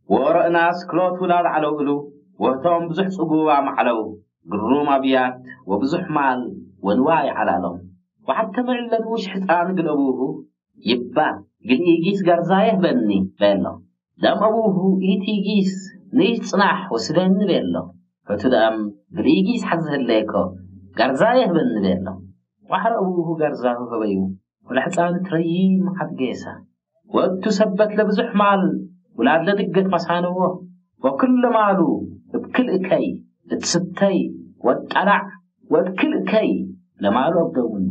ወረእናስ ክሎት ውላድ ዓለውእሉ ወህቶም ብዙሕ ጽጉባ ማዕለው ግሩም ኣብያት ወብዙሕ ማል ወንዋይ ዓላሎም። ወሓተ ምዕለድ ውሽ ሕፃን ግለቡሁ ይባ ግልኢጊስ ጋርዛየ ህበኒ በሎ። ደም ኣቡሁ ኢቲጊስ ንይጽናሕ ወስደኒ በሎ። ፈቱ ደም ግልኢጊስ ሓዝህለየኮ ጋርዛየ ህበኒ በሎ። ዋሕረ ኣቡሁ ጋርዛሁ ህበዩ ወለሕፃን ትረይም ሓድጌሳ። ወእቱ ሰበት ለብዙሕ ማል ውላድ ለድገት መሳንዎ። ወክለ ማሉ እብ ክልእከይ እትስተይ ወጣላዕ ወእብ ክልእከይ ለማሉ ኣብደውኑ።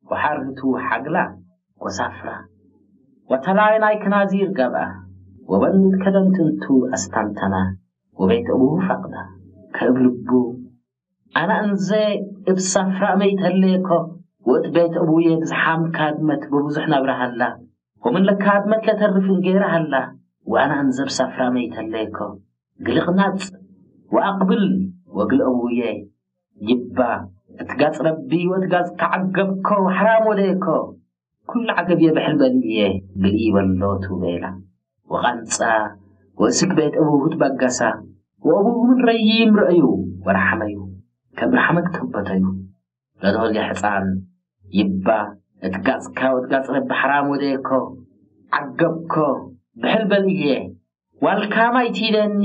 ወሓርህቱ ሓግላ ወሳፍራ ወተላይ ናይ ክናዚር ገብኣ። ወበኒ ከደምት እንቱ ኣስታንተና ወቤት እቡ ፈቕዳ ከእብ ልቡ ኣነ እንዘ እብ ሳፍራ መይተለየኮ ወእት ቤት እቡየ ብዝሓም ካድመት ብብዙሕ ነብረ ሃላ። ወምን ለካድመት ለተርፍ እንጌራ ሃላ። ወኣነ እንዘ እብ ሳፍራ መይተለየኮ ግልቕናጽ ወኣቕብል ወግል እቡየ ይባ እትጋጽ ረቢ ወእትጋጽ ከዓገብኮ ሓራም ወደየኮ። ኩሉ ዓገብየ ብሕል በልየ ግልኢ በሎቱ ቤላ። ወቓንጻ ወእስክ ቤት እቡሁ ትበገሳ። ወእቡሁ ምን ረይም ረእዩ ወረሓመዩ ከም ረሓመት ከበተዩ። ለዶልየ ሕፃን ይባ እትጋጽካ ወትጋጽ ረቢ ሓራም ወደየኮ ዓገብኮ ብሕል በልየ። ዋልካማይ ቲደኒ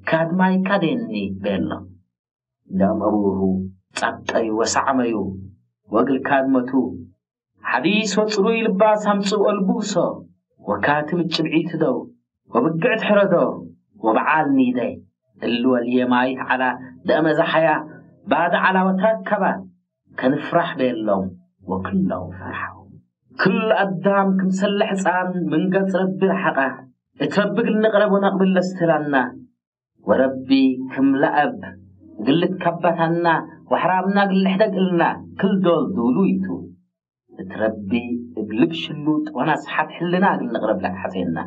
ካድማይካ ደኒ ቤሎ። ደም እቡሁ ጻብጠዩ ወሳዕመዩ ወእግል ካድመቱ ሓዲስ ወጽሩይ ልባስ ኣምጽኡ ኣልቡሶ። ወካትም ጭብዒቱ ደው ወብግዕት ሕረዶ ወበዓል ኒደይ እሊ ወልየ ማይት ዓላ ደእመ ዛሓያ ባደ ዓላ ወትረከባ ከንፍራሕ ቤሎም ወክሎም ፈርሓው። ክሉ ኣዳም ክምሰለ ሕፃን ምን ገጽ ረቢ ረሓቐ። እት ረቢ ግል ንቕረብ ወነቕብል ለስትላና። ወረቢ ክም ለአብ እግል ልትከበታና ወሕራምና እግል ልሕደግ እልና ክል ዶል ዱሉይ ቱ። እት ረቢ እብ ልብ ሽሉጥ ወናስሓት ሕልና እግል ንቕረብ ለትሓዜና።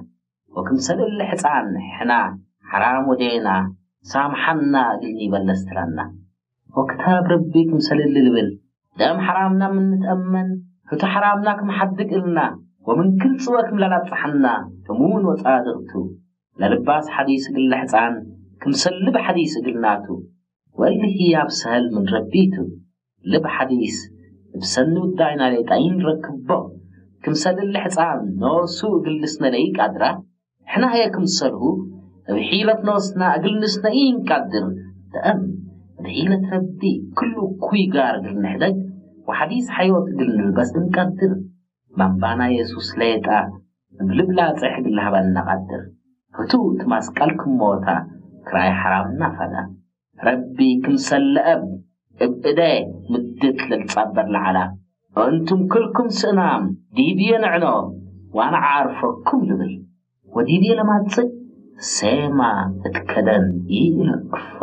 ወክምሰል እሊ ሕፃን ሕና ሐራም ወዴና ሳምሓና እግል ኒበለስ ትላና። ወክታብ ረቢ ክምሰል እሊ ልብል ደም ሐራምና ምን ንትአመን ህቱ ሐራምና ክም ሐድግ እልና ወምን ክል ጽወ ክም ለላጽሓና እሙን ወጻድቅ ቱ። ለልባስ ሐዲስ እግል ለሕፃን ክምሰል ልብ ሐዲስ እግል ናቱ። ወእሊ ህያብ ሰሀል ምን ረቢ ቱ። ልብ ሐዲስ እብ ሰኒ ውዳይና ሌጣ ኢንረክቦ። ክምሰል እሊ ሕፃን ኖሱ እግል ልስነ ለኢቃድራ። ሕና ህየ ክምሰልሁ እብ ሒለት ኖስና እግል ንስነ ኢንቃድር። ደአም እብ ሒለት ረቢ ክሉ እኩይ ጋር እግል ንሕደግ ወሐዲስ ሐዮት እግል ንልበስ እንቀድር። ባምባና የሱስ ሌጣ እብ ልብ ላጽሕ እግል ለሀበና ቀድር። ህቱ እት ማስቀል ክም ሞታ ክርኣይ ሐራምና ፈዳ። ረቢ ክምሰል ለአብ እብ እደ ምድት ለልጻበር ለዐላ። እንቱም ክልኩም ስእናም ዲብየ ንዕኖ ወአነ ዓርፈኩም ልብል። ወዲብየ ለማጽእ ሴማ እት ከደን ኢለክፎ።